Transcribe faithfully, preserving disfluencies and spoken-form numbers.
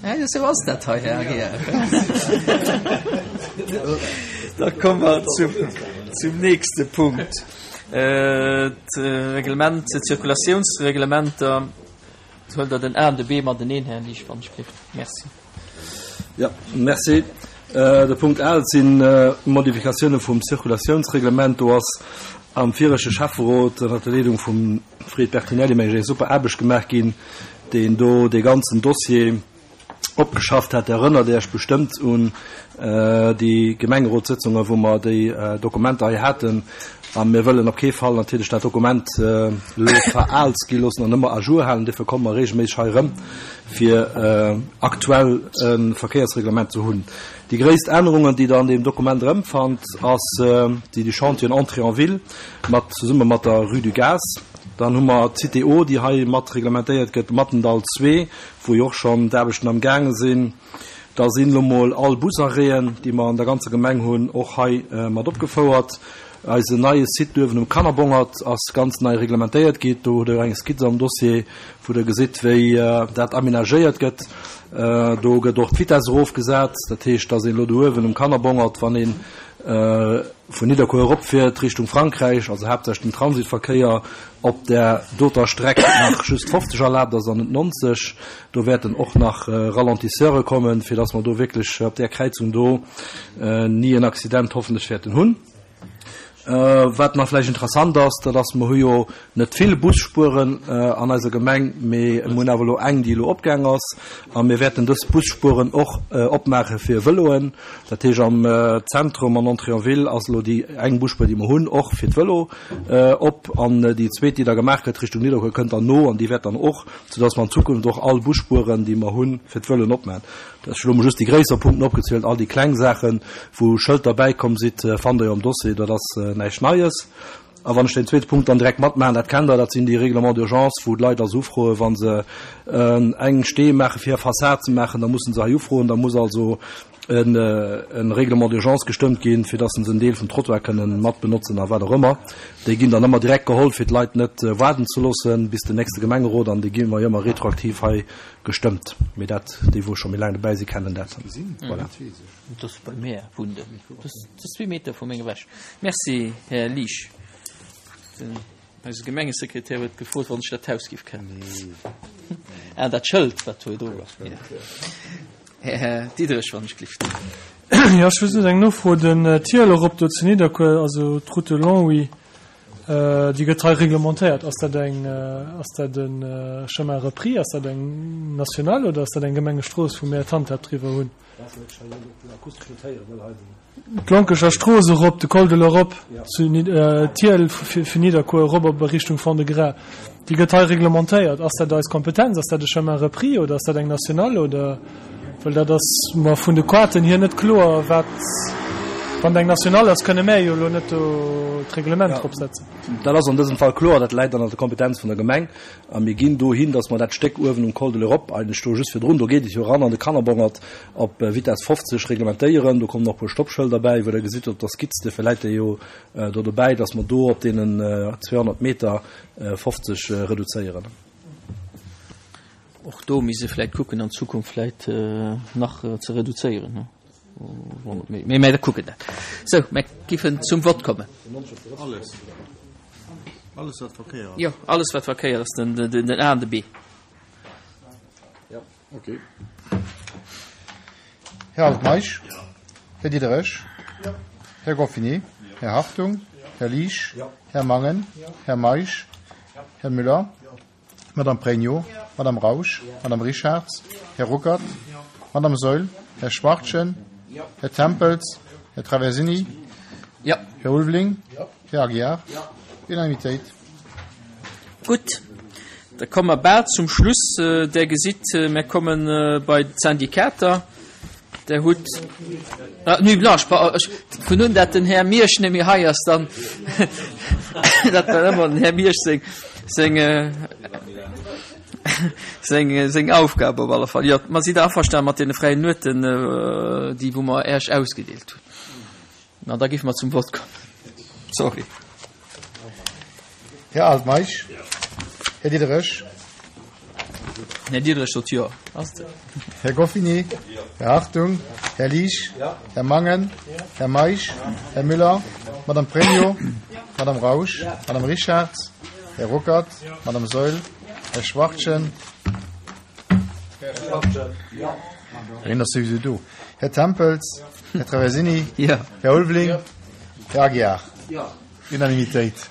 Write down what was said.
Esou ass dat hei, Här Aguiar. Da komme mer zum, zum nächste Punkt. D'Reglement, d'Zirkulatiounsreglementer. Huelt Der den A an de B mateneen, Här Liesch, wann ech gelift. Merci. Jo, merci. De Punkt A, dat si Modifikatioune vum Zirkulatiounsreglement. Do ass am viregte Schäfferot ënner der Leedung vum Fred Bertinelli, meng ech, eng super Aarbecht gemaach ginn, deen do dee ganzen Dossier opgeschafft hat. Der erënnert Iech bestëmmt un déi Gemengerotssëtzungen, wou mer déi Dokumenter hei haten. A mir wëllen op kee Fall natierlech dat Dokument elo veraalt gi loossen an ëmmer à jour halen. Duerfir komme mer regelméisseg hei erëm, fir aktuell e Verkéiersreglement ze hunn. Déi gréisst Ännerungen, déi Der an deem Dokument erëmfannt, ass déi du Chantier en Entrée en ville mat zesumme mat der Rue du Gaz. Dann hu mer d'Cité O, déi hei mat reglementéiert gëtt, Mattendall zwee, wou jo och schonn d'Aarbechten am gaange sinn. Da sinn elo mol all Busarrêten, déi mer an der ganzer Gemeng hunn, och hei mat opgefouert. Eisen neie Site uewen um Kannerbongert ass ganz nei reglementéiert gi. Do hutt Der eng Skizz am Dossier, wou Der gesitt, wéi dat amenagéiert gëtt. Do gëtt och d'Vitess erofgesat. Dat heescht, dass een elo do uewen um Kannerbongert, wann ee vun Nidderkuer eropfiert Richtung Frankräich, also haaptsächlech den Transitverkéier, op där doter Streck nach just fofzeg erlaabt ass an net nonzeg. Do wäerten och nach Ralentisseure kommen, fir dass mer do wierklech op där Kräizung do ni en Accident hoffentlech wäerten hunn. Wat nach vläicht interessant ass, dat ass, mer hu jo net vill Busspueren an eiser Gemeng, mee mer hunn awer elo eng, déi elo opgaang ass. A mir wäerten dës Busspueren och opmaache fir Vëloen. Dat heescht, am Zentrum an Entrée en ville ass elo déi eng Busspuer, déi mer hunn, och fir d'Vëlo op. An déi zweet, déi da gemaach gëtt Richtung Nidderkuer, kënnt dann no an déi wäert dann och, soudass mer an Zukunft och all Busspueren, déi mer hunn, fir d'Vëloen opmaachen. Ech hu elo mol just déi gréisser Punkten opgezielt. All déi kleng Saachen, wou Schëlter bäikomm sidd, fannt Der jo am Dossier. Dat ass näischt Neies. A wann ech deen zweete Punkt dann direkt matmaachen, dat kennt Der, dat sinn déi Règlements d'urgence, wou d'Leit also ufroen, wa se eng Stee maachen, fir hir Fassad ze maachen, da mussen se hei ufroen. Da muss also e Règlement d'urgence gestëmmt ginn, fir dass se en Deel vum Trottoir kënnen mat benotzen a wat och ëmmer. Déi ginn dann ëmmer direkt geholl, fir d'Leit net waarden ze loossen bis den nächste Gemengerot, an déi gi mer jo ëmmer retroaktiv hei Gestëmmt, mee dat, déi wou scho méi laang dobäi sinn, kennen dat. Voilà. Dat ass bei mär wunn de. Dat ass zwee Meter vu meng ewech. Merci, Här Liesch. Den eise Gemengesekretär huet gefrot, wann ech dat Haus giff kennen. Ah, dat Schëld, wat do do ass. Här Diderich, wann ech glift. Jo, ech wëll just eng Nofro. Den Tunnel erop do zu Nidderkuer, also d'Route de Longwy, Déi gëtt hei reglementéiert. Ass dat eng, ass dat e Chemin repris, ass dat eng nationale oder ass dat eng Gemengestrooss, wou mir d'Handhab driwwer hunn? D'Lonkecher Strooss erop, de Col de l'Europe zu Thiel, vun Nidderkuer erop op a Richtung Fond-de-Gras, déi gëtt hei reglementéiert. Ass dat eis Kompetenz? Ass dat e Chemin repris oder ass dat eng nationale oder? Well dat ass mer vun de Quaten hier net kloer, wat, wann et eng nationale ass, kënne mär jo elo net do d'Reglement drop setzen. Dat ass an dësem Fall kloer, dat läit an der Kompetenz vun der Gemeng. A mir ginn dohin, datt mer dat Stéck uewen um Col de l'Europe, eigentlech do just virdrun, do geet et jo eran an de Kannerbongert, op Vitess fofzeg reglementéieren. Do kommen och e puer Stoppschëlder bäi, wou Der gesitt op der Skizz, duerfir läit déi jo do dobäi, datt mer do op deenen zweehonnert Meter fofzeg reduzéieren. Och do misst ee vläicht kucken, an Zukunft vläicht nach ze reduzéieren. Mee mir kucken dat. Sou, mir giffen zum Vott kommen. Alles. Alles, wat Verkéier ass. Jo, alles, wat Verkéier ass, den, den A an de B. Jo, okay. Här Altmeisch? Här Diderich? Här Goffini? Här Hartung? Här Liesch? Här Mangen? Här Meisch? Här Müller? Madame Pregno, Madame Rausch, Madame Richarz, Här Ruckert, Madame Saeul, Här Schwachtgen, Här Tempels, Här Traversini, Här Ulveling, Här Aguiar. Unanimitéit. Gutt, da komme mer bal zum Schluss. Der gesitt, mir komme bei d'Syndikater. Der hutt, ah, Nuit blanche, pardon, ech, vun un dat den Här Miersch net méi hei ass, dann, dat war ëmmer den Här Miersch seng, seng, seng, seng Aufgab op alle Fall. Jo, mer si da averstanen mat deene fräien Nueten, déi wou mer Äech ausgedeelt hunn. Na, da géife mer zum Vott kommen. Sorry. Här Altmeisch, Här Diderich, Den Här Diderich sot Jo. Ass et? Här Goffini? Här Hartung? Här Liesch? Här Mangen? Här Meisch? Här Müller? Madame Pregno? Madame Rausch? Madame Richarz? Här Ruckert? Madame Saeul? Här Schwachtgen? Hien ass souwisou do. Här Tempels? Här Traversini? Här Ulveling? Här Aguiar? Unanimitéit.